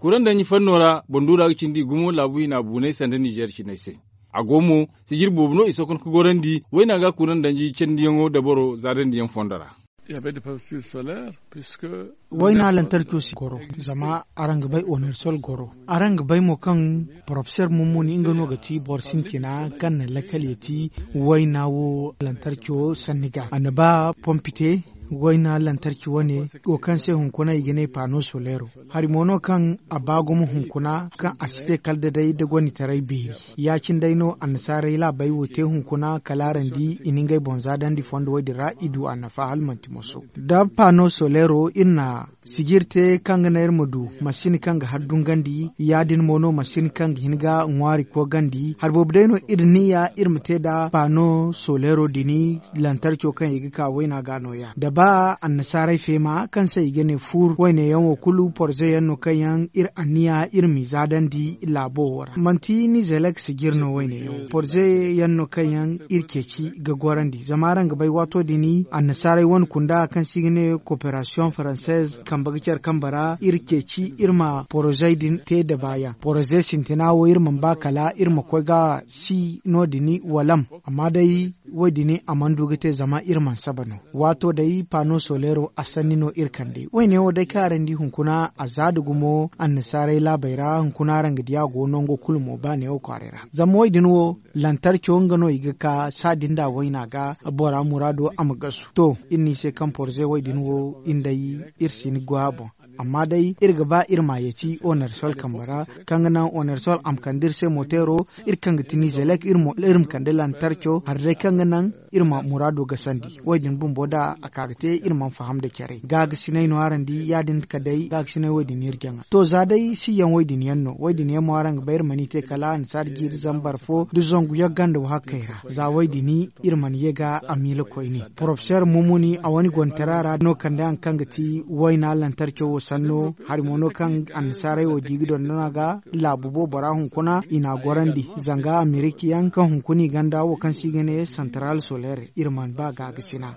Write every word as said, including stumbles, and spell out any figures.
Kuran danji fanno ra banduura ga cindi gumo laabu hina buunay sanda nizeer cinay se. A go mo sijir boobo no i sohõ ka gorandi wayna ga kuran danji candiyaŋo dabaro zaadandiyaŋ fondo ra. Wayna lantarco si goro zama araŋ ga bay onersol goro. Araŋ ga bay mo kaŋ porofeser mummuni nga no ga ti boro sintina kaŋ na lakkal ya ti wayna wo lantarco sanni ga a na ba pompi te. Wayna lantarci wane wo kaŋ se hunkuna i ga ne pano solero hari mo no kaŋ a ba gumo hunkuna kaŋ a si te kala da day da gonitaray beeri. Ya-cine day no annasaarey laabey wo te hunkuna kala araŋ di i na ngey boŋ zaadandi fondo wo- din ra i du annafa hala manti moso. Da pano solero iri na sijir te kaŋ ga naŋ iri ma du masin kaŋ ga har dungandi ya- din mo no masin kaŋ ga hin ga ŋwaari koogandi hari boobo day no iri niya iri ma te nda pano solero din lantarco kaŋ i ga ka wayna ga nooya da ba annasaarey feema kaŋ se i ga ne fuur wayne yaŋ wo kulu porze yaŋ no kaŋ yaŋ iri anniya iri m'i zaadandi laabo wo ra manti nizelek sijir no wayne yaŋ porze yaŋ no kaŋ yaŋ iri ceeci ga gorandi zama araŋ ga bay waato din annasaarey wane kunda kaŋ se i ga ne koperasiyoŋ faranseez kambe ga care kambe ra iri ceeci iri ma porozey din te nda baayaŋ poroze sintina wo iri mana ba kala iri ma koy ga si no- din walam. Amma day wo- din a mana du ga te zama iri mana saba no waato day pano solero a sanni no iri kande wayne wo day kaŋ araŋ di hunkuna a za nda gumo annasaarey laabey ra hunkuna araŋ ga di a go nango kulu mo ba neewo kwaaray ra zama wo- din wo lantarco nga no i ga ka saadi nda wayna ga bora muraado a ma gasu to iri no i se kaŋ porze wo- din wo iri day iri si ni goy a boŋ. Amma day iri ga ba iri ma yeeti onersol kambe ra kaŋ ga naŋ onersol a ma kande iri se moteero iri kaŋ ga ti nizelek iri ma kande lantarco hari day kaŋ ga naŋ iri ma muraado gasandi wo- din bumbo nda a ka ga te iri mana faham nda care gaagasinay no araŋ di ya- din ka day gaagasinay wo- din iri jaŋa to za day siyaŋ wo- din yaŋ no wo- din yaŋ mo araŋ ga bay iri mana i te kala annasaari jiiri zambar fo nda zangu yagga nda wahakkey ra za wo- din iri mana ye ga a miila koyne porofeser mumuni a wane gontara ra no kande haŋ kaŋ ga ti wayna lantarco wo sanno hari mo no kaŋ annasaarey wo di ga dondon a ga laabu boobora hunkuna i n'a gorandi zanga amerika yaŋ kaŋ hunkuna i ganda wo kaŋ se i ga ne santaral soler iri mana ba gaagasinay.